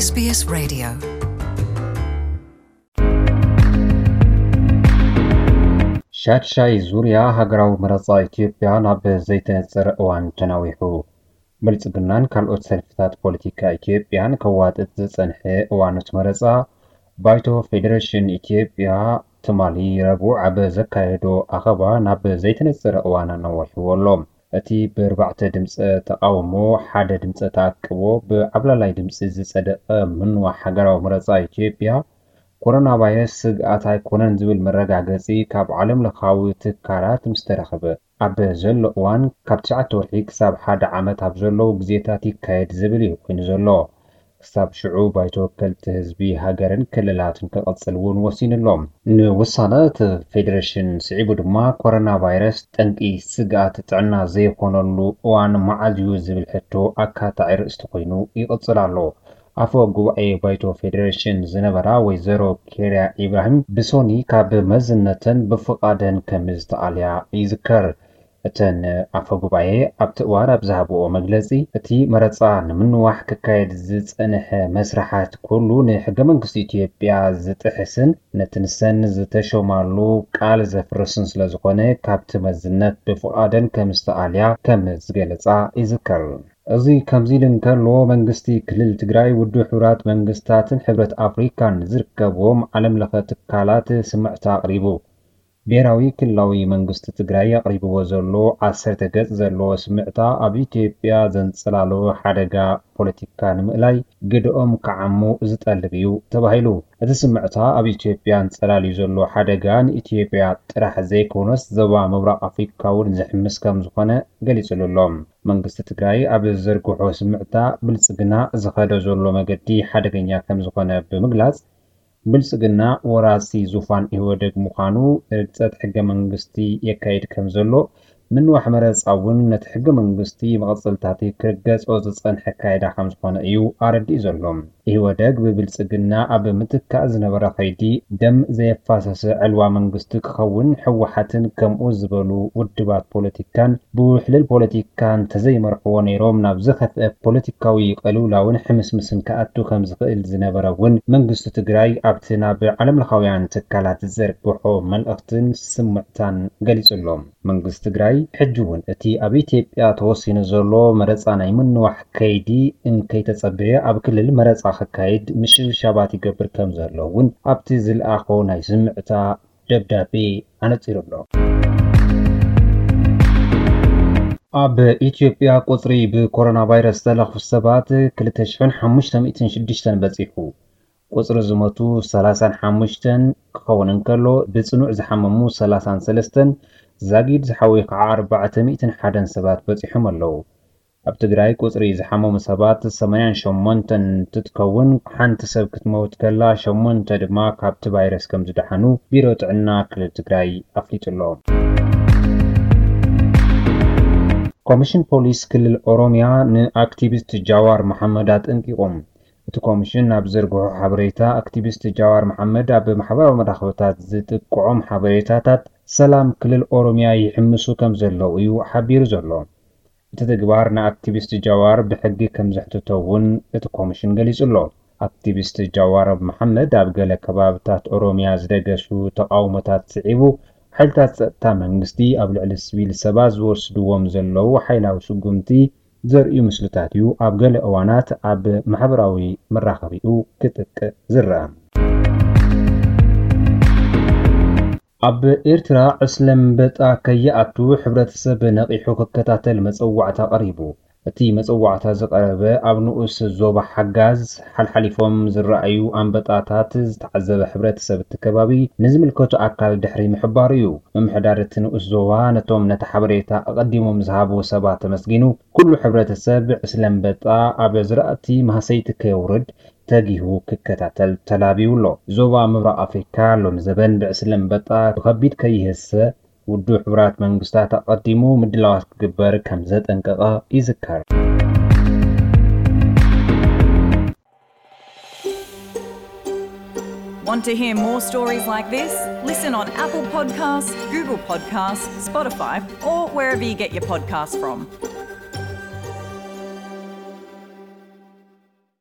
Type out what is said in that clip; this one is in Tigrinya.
SBS Radio. ሻድሻይ ዙርያ ሃገራዊ መረጻ ኢትዮጵያ ናብ ዘይተነጽር እዋን ተናዊሑ። ብልጽግናን ካልኦት ሰልፍታት ፖለቲካ ኢትዮጵያን ከዋጥጥ ዝጸንሐ እዋን እቲ መረጻ፣ ባይቶ ፌደሬሽን ኢትዮጵያ ትማሊ ረቡዕ ኣብ ዘካየዶ ኣኸባ ናብ ዘይተነጸረ እዋን ኣናዋሕዎ ኣሎ። እቲ ብኣርባዕተ ድምጸ ተቓውሞ፣ ሓደ ድምጸ ተኣቅቦ ብዓብላላይ ድምጺ ዝጸደቐ ምንዋሕ ሃገራዊ መረጻ ኢትዮጵያ፣ ኮሮና ቫይረስ ስግኣት ኣይኮነን ዝብል መረጋገጺ ካብ ዓለም ለኻዊ ትካላት ምስ ተረኸበ፣ ኣብ ዘሎ እዋን ካብ ትሽዓተ ወርሒ ክሳብ ሓደ ዓመት ኣብ ዘለዉ ግዜታት ይካየድ ዝብል እዩ ኮይኑ ዘሎ። ክሳብ ሽዑ ባይቶ ወከልቲ ህዝቢ ሃገርን ክልላትን ክቕጽል እውን ወሲኑ ኣሎ። ንውሳነ እቲ ፌደሬሽን ስዒቡ ድማ ኮሮና ቫይረስ ጠንቂ ስግኣት ጥዕና ዘይኮነሉ እዋን መዓዝ እዩ ዝብል ሕቶ ኣካታዒ ርእስቲ ኮይኑ ይቕጽል ኣሎ። ኣፈ ጉባኤ ባይቶ ፌደሬሽን ዝነበራ ወይዘሮ ኬርያ ኢብራሂም ብሶኒ ካብ መዝነተን ብፍቓደን ከም ዝተኣልያ ይዝከር። እተን ኣፈ ጉባኤ ኣብቲ እዋን ኣብ ዝሃብኦ መግለጺ፣ እቲ መረጻ ንምንዋሕ ክካየድ ዝጸንሐ መስርሓት ኩሉ ንሕገ መንግስቲ ኢትዮጵያ ዝጥሕስን ነቲ ንሰን ዝተሾማሉ ቃል ዘፍርስን ስለ ዝኾነ ካብቲ መዝነት ብፍቓደን ከም ዝተኣልያ ከም ዝገለጻ ይዝከር። እዚ ከምዚ ኢሉ እንከሎ፣ መንግስቲ ክልል ትግራይ ውድብ ሕቡራት መንግስታትን ሕብረት ኣፍሪካን ዝርከብዎም ዓለም ለኸ ትካላት ስምዕታ ኣቕሪቡ። ብሄራዊ ክልላዊ መንግስቲ ትግራይ ኣቕሪብዎ ዘሎ ዓሰርተ ገጽ ዘለዎ ስምዕታ ኣብ ኢትዮጵያ ዘንጸላሎ ሓደጋ ፖለቲካ ንምእላይ ግደኦም ክዓሙ ዝጠልብ እዩ ተባሂሉ። እቲ ስምዕታ ኣብ ኢትዮጵያ ኣንጸላልዩ ዘሎ ሓደጋ ንኢትዮጵያ ጥራሕ ዘይኮነስ ዞባ ምብራቕ ኣፍሪካ እውን ዝሕምስ ከም ዝኾነ ገሊጹሉ ኣሎ። መንግስቲ ትግራይ ኣብ ዝዘርግሖ ስምዕታ ብልጽግና ዝኸዶ ዘሎ መገዲ ሓደገኛ ከም ዝኾነ ብምግላጽ፣ ብልጽግና ወራሲ ዙፋን ኢህወደግ ምዃኑ ርግጸት ሕገ መንግስቲ የካይድ ከም ዘሎ፣ ምንዋሕ መረጻ እውን ነቲ ሕገ መንግስቲ መቐጸልታቲ ክርገጾ ዝጸንሐ ኣካይዳ ከም ዝኾነ እዩ ኣረዲኡ ዘሎ። ኢህወደግ ብብልጽግና ኣብ ምትካእ ዝነበረ ከይዲ ደም ዘየፋሰሰ ዕልዋ መንግስቲ ክኸውን ህወሓትን ከምኡ ዝበሉ ውድባት ፖለቲካን ብውሕልል ፖለቲካ እንተዘይመርሕዎ ነይሮም ናብ ዝኸፍአ ፖለቲካዊ ቅልውላውን ሕምስምስን ክኣቱ ከም ዝኽእል ዝነበረ እውን መንግስቲ ትግራይ ኣብቲ ናብ ዓለምለኻውያን ትካላት ዝዘርግሖ መልእኽትን ስምዕታን ገሊጹ ኣሎ። መንግስቲ ትግራይ ሕጂ እውን እቲ ኣብ ኢትዮጵያ ተወሲኑ ዘሎ መረጻ ናይ ምንዋሕ ከይዲ እንከይተጸበየ ኣብ ክልል መረጻ ክካየድ ምሽብሻባት ይገብር ከም ዘሎ እውን ኣብቲ ዝለኣኾ ናይ ስምዕታ ደብዳቤ ኣነጺሩ ኣሎ። ኣብ ኢትዮጵያ ቁጽሪ ብኮሮና ቫይረስ ዝተለኽፉ ሰባት ክልተ ሽሕን ሓሙሽተ ሚእትን ሽዱሽተን በጺሑ። ቁጽሪ ዝሞቱ ሰላሳን ሓሙሽተን ክኸውን እንከሎ፣ ብጽኑዕ ዝሓመሙ ሰላሳን ሰለስተን፣ ዛጊድ ዝሓወዩ ከዓ ኣርባዕተ ሚእትን ሓደን ሰባት በጺሖም ኣለዉ። ኣብ ትግራይ ቁጽሪ ዝሓመሙ ሰባት ሰማንያን ሸሞንተን እንትትከውን፣ ሓንቲ ሰብ ክትመውት ከላ፣ ሸሞንተ ድማ ካብቲ ቫይረስ ከም ዝደሓኑ ቢሮ ጥዕና ክልል ትግራይ ኣፍሊጡ ኣሎ። ኮሚሽን ፖሊስ ክልል ኦሮሚያ ንኣክቲቪስት ጃዋር መሓመድ ኣጠንቂቑ። እቲ ኮሚሽን ኣብ ዘርግሖ ሓበሬታ፣ ኣክቲቪስት ጃዋር መሓመድ ኣብ ማሕበራዊ መራኸብታት ዝጥቅዖም ሓበሬታታት ሰላም ክልል ኦሮሚያ ይሕምሱ ከም ዘለዉ እዩ ሓቢሩ ዘሎ። እቲ ተግባር ንኣክቲቪስት ጃዋር ብሕጊ ከም ዘሕትቶ እውን እቲ ኮሚሽን ገሊጹ ኣሎ። ኣክቲቪስት ጃዋር መሓመድ ኣብ ገለ ከባብታት ኦሮሚያ ዝደገሱ ተቓውሞታት ስዒቡ፣ ሓይልታት ጸጥታ መንግስቲ ኣብ ልዕሊ ስቪል ሰባት ዝወስድዎም ዘለዉ ሓይላዊ ስጉምቲ ዘርእዩ ምስልታት እዩ ኣብ ገለ እዋናት ኣብ ማሕበራዊ መራኸቢኡ ክጥቅዕ ዝረኣ። ኣብ ኤርትራ ዕስለ ኣንበጣ ከይኣቱ ሕብረተሰብ ነቒሑ ክከታተል መጸዋዕታ ቀሪቡ። እቲ መጸዋዕታ ዝቐረበ ኣብ ንኡስ ዞባ ሓጋዝ ሓልሓሊፎም ዝረኣዩ ኣንበጣታት ዝተዓዘበ ሕብረተሰብ እቲ ከባቢ ንዝምልከቶ ኣካል ድሕሪ ምሕባሩ እዩ። ምምሕዳር እቲ ንኡስ ዞባ ነቶም ነቲ ሓበሬታ ኣቐዲሞም ዝሃቡ ሰባት ኣመስጊኑ፣ ኩሉ ሕብረተሰብ ዕስለ ኣንበጣ ኣብ ዝራእቲ ማህሰይቲ ከየውርድ ተጊሁ ክከታተል ተላብዩ ኣሎ። ዞባ ምብራቕ ኣፍሪካ ሎሚ ዘበን ብዕስለ ኣንበጣ ብኸቢድ ከይህሰ ውድብ ሕቡራት መንግስታት ኣቐዲሙ ምድላዋት ክግበር ከም ዘጠንቀቐ ይዝከር። Want to hear more stories like this? Listen on Apple Podcasts, Google Podcasts, Spotify, or wherever you get your podcasts from.